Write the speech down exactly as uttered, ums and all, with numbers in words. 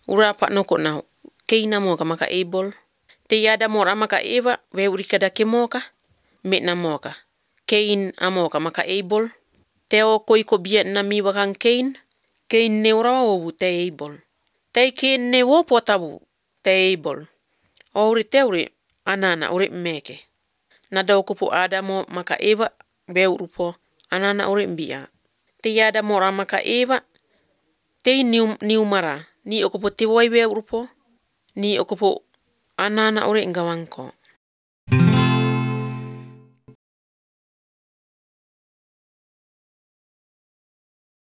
Ura pa'noko na Kein amoka maka Abel. Te yada mora maka Eva weurika da kemoka metna moka. Kein amoka maka Abel. Teo koiko biet na mi wakang Kein. Kein ne ora wo te Abel. Te Kein ne wo potabu te Abel. Ori teuri anana uri meke. Nada okupu Adamo maka Eva beurupo anana uri mbia. Te yada mora maka Eva te niu niu mara ni okupu te wai beurupo ni okupu anana uri ngawangko.